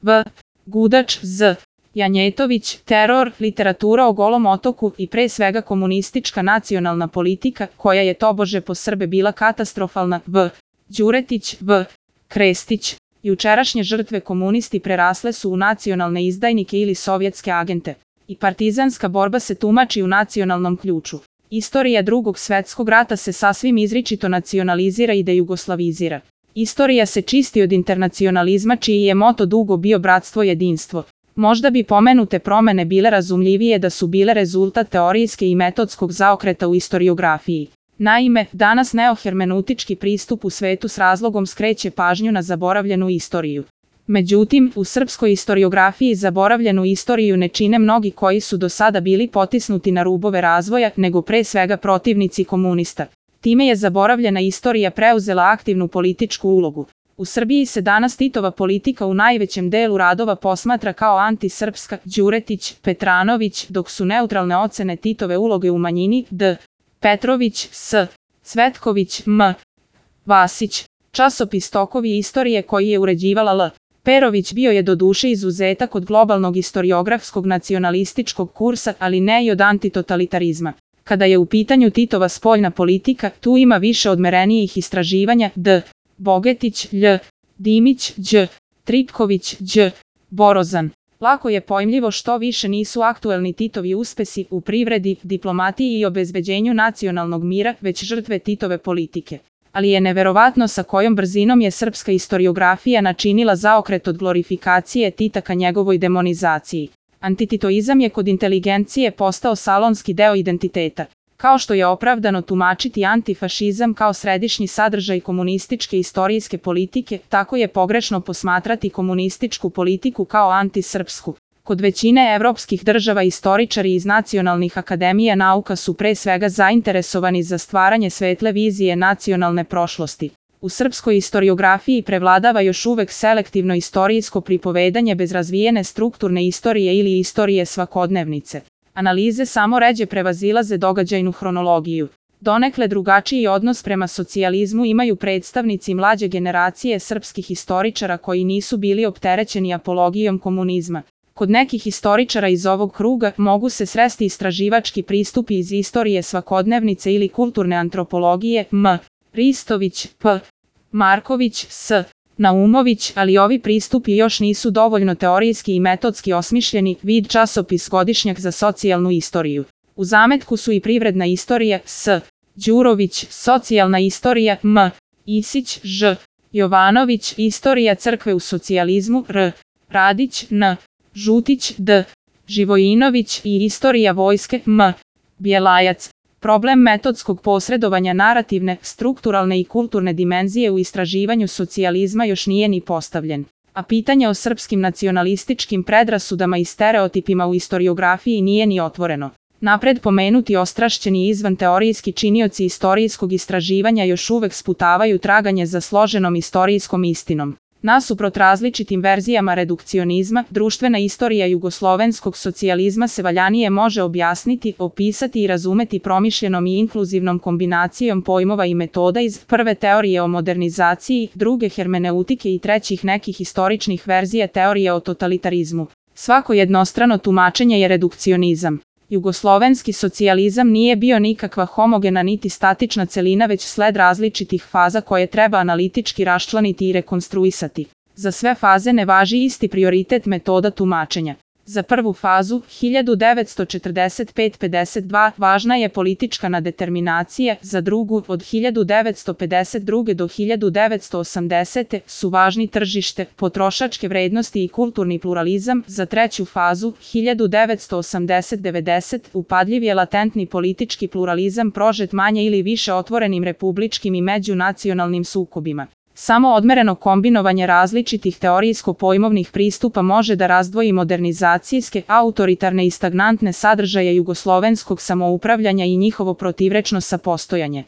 V. Gudač, Z. Janjetović, teror, literatura o Golom otoku i pre svega komunistička nacionalna politika, koja je tobože po Srbe bila katastrofalna, V. Đuretić, V. Krestić. Jučerašnje žrtve komunisti prerasle su u nacionalne izdajnike ili sovjetske agente. I partizanska borba se tumači u nacionalnom ključu. Istorija Drugog svetskog rata se sasvim izričito nacionalizira i dejugoslavizira. Istorija se čisti od internacionalizma čiji je moto dugo bio bratstvo jedinstvo. Možda bi pomenute promene bile razumljivije da su bile rezultat teorijske i metodskog zaokreta u istoriografiji. Naime, danas neohermenutički pristup u svetu s razlogom skreće pažnju na zaboravljenu istoriju. Međutim, u srpskoj istoriografiji zaboravljenu istoriju ne čine mnogi koji su do sada bili potisnuti na rubove razvoja, nego pre svega protivnici komunista. Time je zaboravljena istorija preuzela aktivnu političku ulogu. U Srbiji se danas Titova politika u najvećem delu radova posmatra kao antisrpska, Đuretić, Petranović, dok su neutralne ocene Titove uloge u manjini, D. Petrović, S. Cvetković, M. Vasić. Časopis Tokovi istorije koji je uređivala L. Perović bio je doduše izuzetak od globalnog historiografskog nacionalističkog kursa, ali ne i od antitotalitarizma. Kada je u pitanju Titova spoljna politika, tu ima više odmerenijih istraživanja, D. Bogetić, Lj. Dimić, Đ. Tripković, Đ. Borozan. Lako je pojmljivo što više nisu aktuelni Titovi uspesi u privredi, diplomatiji i obezbeđenju nacionalnog mira, već žrtve Titove politike. Ali je neverovatno sa kojom brzinom je srpska istoriografija načinila zaokret od glorifikacije Tita ka njegovoj demonizaciji. Antititoizam je kod inteligencije postao salonski deo identiteta. Kao što je opravdano tumačiti antifašizam kao središnji sadržaj komunističke istorijske politike, tako je pogrešno posmatrati komunističku politiku kao antisrpsku. Kod većine evropskih država istoričari iz nacionalnih akademija nauka su pre svega zainteresovani za stvaranje svetle vizije nacionalne prošlosti. U srpskoj istoriografiji prevladava još uvek selektivno istorijsko pripovedanje bez razvijene strukturne istorije ili istorije svakodnevnice. Analize samo ređe prevazilaze događajnu hronologiju. Donekle drugačiji odnos prema socijalizmu imaju predstavnici mlađe generacije srpskih istoričara koji nisu bili opterećeni apologijom komunizma. Kod nekih istoričara iz ovog kruga mogu se sresti istraživački pristupi iz istorije svakodnevnice ili kulturne antropologije, M. Ristović, P. Marković, S. Naumović, ali ovi pristupi još nisu dovoljno teorijski i metodski osmišljeni, vid časopis Godišnjak za socijalnu istoriju. U zametku su i privredna istorija, S. Đurović, socijalna istorija, M. Isić, Ž. Jovanović, istorija crkve u socijalizmu, R. Radić, N. Žutić, D. Živojinović i istorija vojske, M. Bjelajac. Problem metodskog posredovanja narativne, strukturalne i kulturne dimenzije u istraživanju socijalizma još nije ni postavljen. A pitanje o srpskim nacionalističkim predrasudama i stereotipima u istoriografiji nije ni otvoreno. Napred pomenuti ostrašćeni izvan teorijski činioci istorijskog istraživanja još uvek sputavaju traganje za složenom istorijskom istinom. Nasuprot različitim verzijama redukcionizma, društvena istorija jugoslovenskog socijalizma se valjanije može objasniti, opisati i razumeti promišljenom i inkluzivnom kombinacijom pojmova i metoda iz prve teorije o modernizaciji, druge hermeneutike i trećih nekih historičnih verzija teorije o totalitarizmu. Svako jednostrano tumačenje je redukcionizam. Jugoslovenski socijalizam nije bio nikakva homogena niti statična celina već sled različitih faza koje treba analitički raščlaniti i rekonstruisati. Za sve faze ne važi isti prioritet metoda tumačenja. Za prvu fazu, 1945-52, važna je politička nadeterminacija, za drugu, od 1952. do 1980. su važni tržište, potrošačke vrednosti i kulturni pluralizam, za treću fazu, 1980-90, upadljiv je latentni politički pluralizam prožet manje ili više otvorenim republičkim i međunacionalnim sukobima. Samo odmereno kombinovanje različitih teorijsko-pojmovnih pristupa može da razdvoji modernizacijske, autoritarne i stagnantne sadržaje jugoslovenskog samoupravljanja i njihovo protivrečno sapostojanje.